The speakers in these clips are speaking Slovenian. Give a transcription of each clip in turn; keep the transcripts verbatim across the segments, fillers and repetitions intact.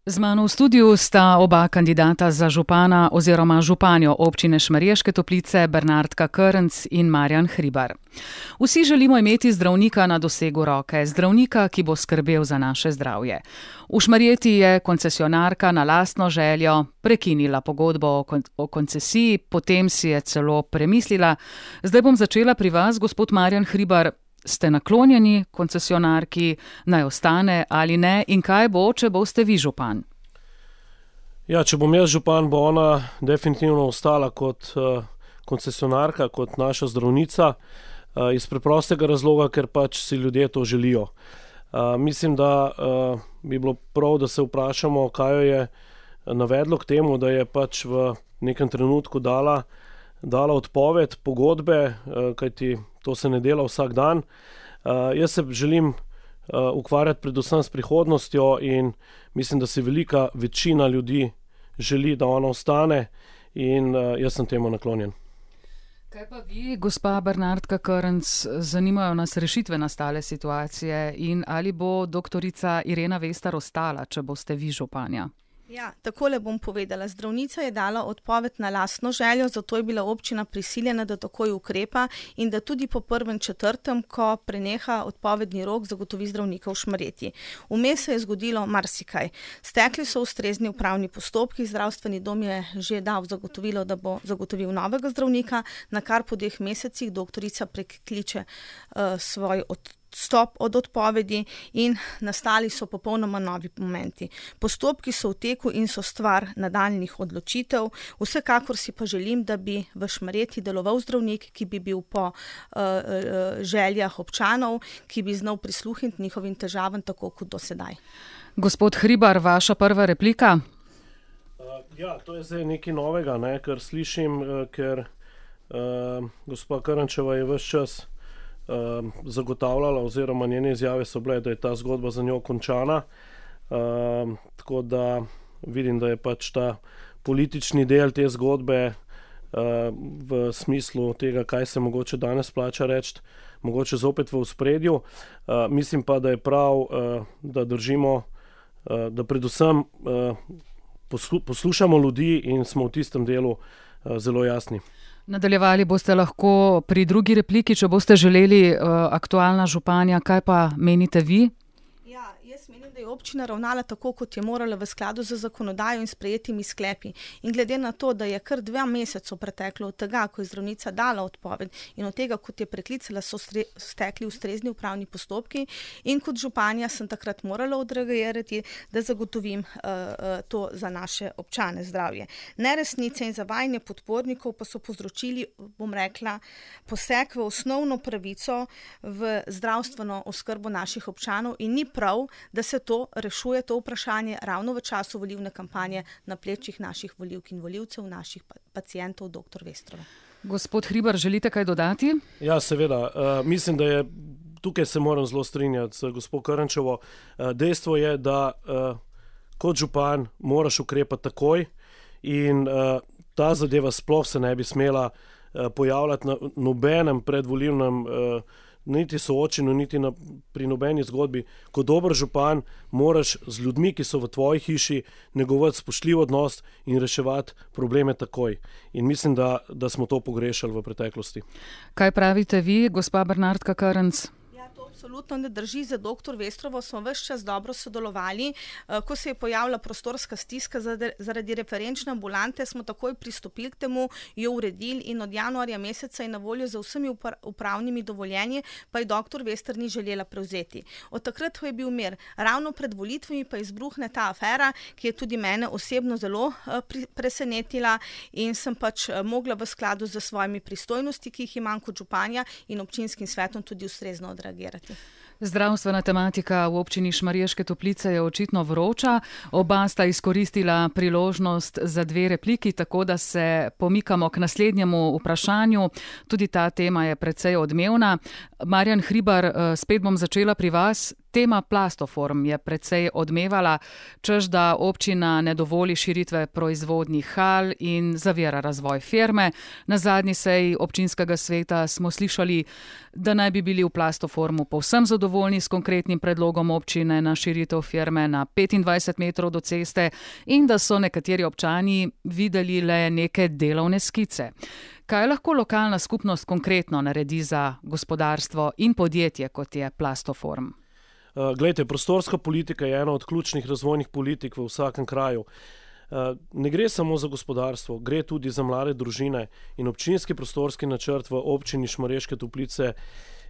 Z mano v studiu sta oba kandidata za župana oziroma županjo občine Šmarješke Toplice, Bernardka Krnc in Marjan Hribar. Vsi želimo imeti zdravnika na dosegu roke, zdravnika, ki bo skrbel za naše zdravje. V Šmarjeti je koncesionarka na lastno željo prekinila pogodbo o, kon- o koncesiji, potem si je celo premislila. Zdaj bom začela pri vas, gospod Marjan Hribar. Ste naklonjeni koncesionarki, naj ostane ali ne, in kaj bo, če boste vi župan? Ja, če bom jaz župan, bo ona definitivno ostala kot uh, koncesionarka, kot naša zdravnica, uh, iz preprostega razloga, ker pač si ljudje to želijo. Uh, mislim, da uh, bi bilo prav, da se vprašamo, kaj jo je navedlo k temu, da je pač v nekem trenutku dala, dala odpoved pogodbe, uh, kajti to se ne dela vsak dan. Uh, jaz se želim uh, ukvarjati predvsem s prihodnostjo in mislim, da si velika večina ljudi želi, da ona ostane, in uh, jaz sem temu naklonjen. Kaj pa vi, gospa Bernardka Krnc, zanimajo nas rešitve nastale situacije in ali bo doktorica Irena Vestar ostala, če boste vi županja? Ja, takole bom povedala. Zdravnica je dala odpoved na lastno željo, zato je bila občina prisiljena, da takoj ukrepa in da tudi po prvem četrtem, ko preneha odpovedni rok, zagotovi zdravnika v Šmarjeti. Vmes se je zgodilo marsikaj. Stekli so ustrezni upravni postopki, zdravstveni dom je že dal zagotovilo, da bo zagotovil novega zdravnika, na kar po dveh mesecih doktorica prekliče uh, svoj odpoved. Stop od odpovedi in nastali so popolnoma novi momenti. Postopki so v teku in so stvar nadaljnjih odločitev. Vsekakor si pa želim, da bi v Šmarjeti deloval zdravnik, ki bi bil po uh, uh, željah občanov, ki bi znal prisluhniti njihovim težavam tako kot do sedaj. Gospod Hribar, vaša prva replika? Uh, ja, to je zdaj nekaj novega, ne, kar slišim, uh, ker uh, gospa Krnčeva je ves čas Uh, zagotavljala, oziroma njene izjave so bile, da je ta zgodba za njo končana. Uh, tako da vidim, da je pač ta politični del te zgodbe uh, v smislu tega, kaj se mogoče danes plača reči, mogoče zopet v ospredju. Uh, mislim pa, da je prav, uh, da držimo, uh, da predvsem uh, poslu- poslušamo ljudi in smo v tistem delu uh, zelo jasni. Nadaljevali boste lahko pri drugi repliki, če boste želeli, uh, aktualna županja. Kaj pa menite vi? Ja, jaz menim, da je občina ravnala tako, kot je morala v skladu z zakonodajo in sprejetimi sklepi. In glede na to, da je kar dva meseca preteklo od tega, ko je zdravnica dala odpoved in od tega, kot je preklicala, so stre, stekli ustrezni upravni postopki in kot županja sem takrat morala odreagirati, da zagotovim uh, uh, to za naše občane zdravje. Neresnice in zavajanje podpornikov pa so povzročili, bom rekla, poseg v osnovno pravico v zdravstveno oskrbo naših občanov in ni prav, da se to rešuje, to vprašanje ravno v času volilne kampanje na plečih naših volivk in volivcev, naših pacientov, doktor Vestrova. Gospod Hribar, želite kaj dodati? Ja, seveda. Uh, mislim, da je, tukaj se moram zelo strinjati z gospod Krnčevo. Uh, dejstvo je, da uh, kot župan moraš ukrepati takoj in uh, ta zadeva sploh se ne bi smela uh, pojavljati na nobenem predvolilnem uh, niti soočeno, niti na, pri nobeni zgodbi. Kot dober župan moraš z ljudmi, ki so v tvoji hiši, negovati spoštljiv odnos in reševati probleme takoj. In mislim, da, da smo to pogrešali v preteklosti. Kaj pravite vi, gospa Bernardka Krnc? Absolutno ne drži. Za doktor Vestrovo smo ves čas dobro sodelovali. Ko se je pojavila prostorska stiska zaradi referenčne ambulante, smo takoj pristopili k temu, jo uredili in od januarja meseca je na voljo za vsemi upravnimi dovoljenji, pa je doktor Vester ni želela prevzeti. Od takrat je bil mir. Ravno pred volitvami pa izbruhne ta afera, ki je tudi mene osebno zelo presenetila in sem pač mogla v skladu z svojimi pristojnosti, ki jih imam kot županja in občinskim svetom, tudi ustrezno odreagirati. Zdravstvena tematika v občini Šmarješke Toplice je očitno vroča. Oba sta izkoristila priložnost za dve repliki, tako da se pomikamo k naslednjemu vprašanju. Tudi ta tema je precej odmevna. Marjan Hribar, spet bom začela pri vas. Tema Plastoform je precej odmevala, češ da občina ne dovoli širitve proizvodnih hal in zavira razvoj firme. Na zadnji seji občinskega sveta smo slišali, da naj bi bili v Plastoformu Plastoformu povsem zadovoljni s konkretnim predlogom občine na širitev firme na petindvajset metrov do ceste in da so nekateri občani videli le neke delovne skice. Kaj lahko lokalna skupnost konkretno naredi za gospodarstvo in podjetje, kot je Plastoform? Glejte, prostorska politika je ena od ključnih razvojnih politik v vsakem kraju. Ne gre samo za gospodarstvo, gre tudi za mlade družine in občinski prostorski načrt v občini Šmarješke Toplice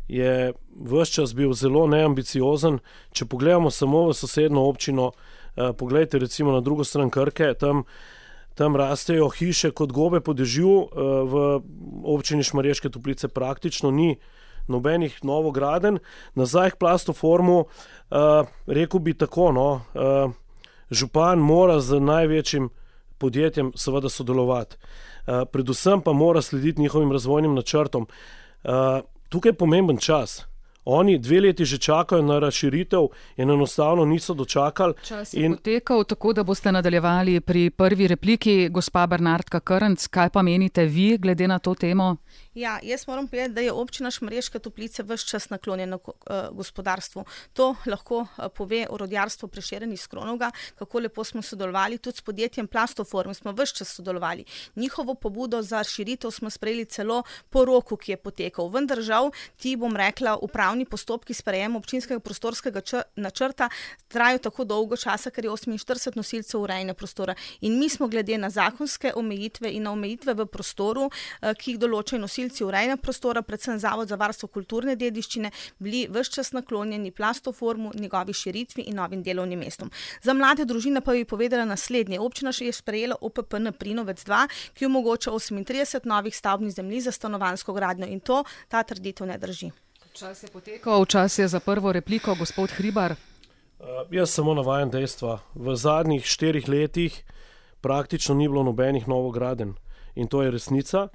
je ves čas bil zelo neambiciozen. Če pogledamo samo v sosednjo občino, pogledajte recimo na drugo stran Krke, tam, tam rastejo hiše kot gobe po dežju, v občini Šmarješke Toplice praktično ni nobenih novogradenj. Nazaj k Plastoformu, rekel bi tako, no, župan mora z največjim podjetjem seveda sodelovati. Predvsem pa mora slediti njihovim razvojnim načrtom. Tukaj je pomemben čas. Oni dve leti že čakajo na razširitev in enostavno niso dočakali. Čas je in... potekal, tako da boste nadaljevali pri prvi repliki. Gospa Bernardka Krnc, kaj pa menite vi glede na to temo? Ja, jaz moram povedati, da je občina Šmarješke Toplice ves čas naklonjena uh, gospodarstvu. To lahko uh, pove orodjarstvo Prešeren iz Kronovega, kako lepo smo sodelovali. Tudi s podjetjem Plastoform smo ves čas sodelovali. Njihovo pobudo za širitev smo sprejeli celo po roku, ki je potekal. Vendar žal, ti bom rekla, upravni postopki sprejema občinskega prostorskega č- načrta trajajo tako dolgo časa, ker je oseminštirideset nosilcev urejanja prostora. In mi smo glede na zakonske omejitve in na omejitve v prostoru, uh, ki jih določajo nosilci urejanja prostora, predvsem Zavod za varstvo kulturne dediščine, bili ves čas naklonjeni Plastoformu, njegovi širitvi in novim delovnim mestom. Za mlade družine pa bi povedala naslednje. Občina še je sprejela O P P N Prinovec dva, ki omogoča osemintrideset novih stavbnih zemljišč za stanovanjsko gradnjo in to, ta trditev ne drži. Čas je potekal, čas je za prvo repliko. Gospod Hribar. Uh, jaz samo navajam dejstva. V zadnjih štirih letih praktično ni bilo nobenih novogradenj in to je resnica.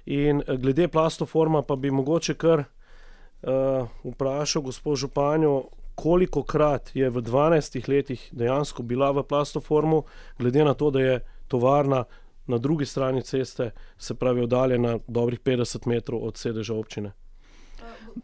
In glede Plastoforma pa bi mogoče kar uh, vprašal gospod županjo, koliko krat je v dvanajstih letih dejansko bila v Plastoformu, glede na to, da je tovarna na drugi strani ceste, se pravi oddaljena dobrih petdeset metrov od sedeža občine.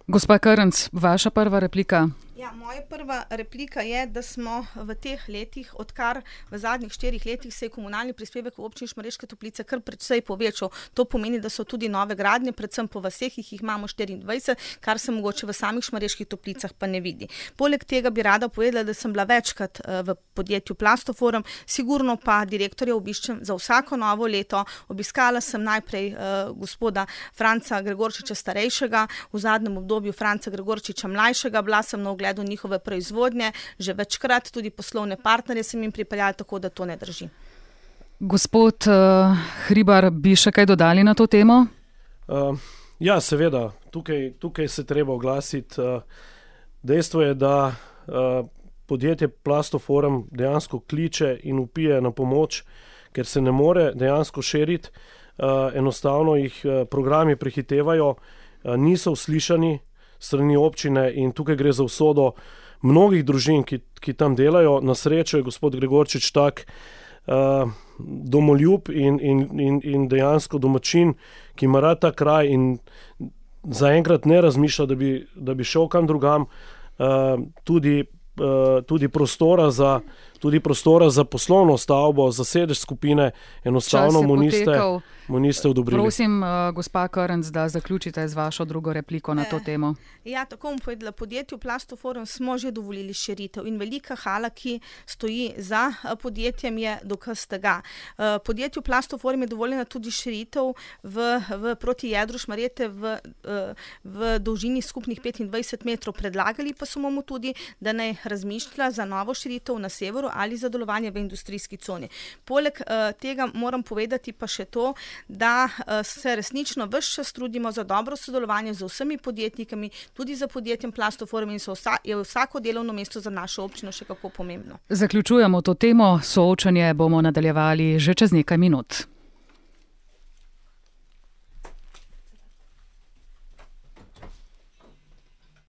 Gospa Krnc, vaša prva replika. Ja, moja prva replika je, da smo v teh letih, odkar v zadnjih štirih letih se je komunalni prispevek v občini Šmarješke Toplice kar precej povečal. To pomeni, da so tudi nove gradnje, predvsem po vaseh, jih imamo štiriindvajset, kar se mogoče v samih Šmarjeških Toplicah pa ne vidi. Poleg tega bi rada povedala, da sem bila večkrat v podjetju Plastoform, sigurno pa direktorja obiščem za vsako novo leto. Obiskala sem najprej uh, gospoda Franca Gregorčiča starejšega, v zadnjem obdobju Franca Gregorčiča mlajšega, bila sem na ogled do njihove proizvodnje, že večkrat tudi poslovne partnerje sem jim pripeljala, tako da to ne drži. Gospod uh, Hribar, bi še kaj dodali na to temo? Uh, ja, seveda, tukaj, tukaj se treba oglasiti. Uh, dejstvo je, da uh, podjetje Plastoform dejansko kliče in vpije na pomoč, ker se ne more dejansko širiti. Uh, enostavno jih uh, programi prehitevajo, uh, niso uslišani strani občine in tukaj gre za usodo mnogih družin, ki, ki tam delajo. Na srečo je gospod Gregorčič tak uh, domoljub in, in, in, in dejansko domačin, ki ima rad ta kraj in zaenkrat ne razmišlja, da bi, da bi šel kam drugam. Uh, tudi, uh, tudi prostora za tudi prostora za poslovno stavbo, za sedež skupine, enostavno mu niste, mu niste odobrili. Prosim, uh, gospa Krnc, da zaključite z vašo drugo repliko na to temo. E, ja, tako bom povedala. Podjetju Plastoform smo že dovolili širitev in velika hala, ki stoji za podjetjem, je dokaz tega. Uh, podjetju Plastoform je dovoljena tudi širitev v, v proti jedru Šmarjete v, uh, v dolžini skupnih petindvajset metrov. Predlagali pa smo mu tudi, da naj razmišlja za novo širitev na severu ali za delovanje v industrijski coni. Poleg uh, tega moram povedati pa še to, da uh, se resnično ves čas trudimo za dobro sodelovanje z vsemi podjetnikami, tudi za podjetjem Plastoform in so vsa, je vsako delovno mesto za našo občino še kako pomembno. Zaključujemo to temo, soočanje bomo nadaljevali že čez nekaj minut.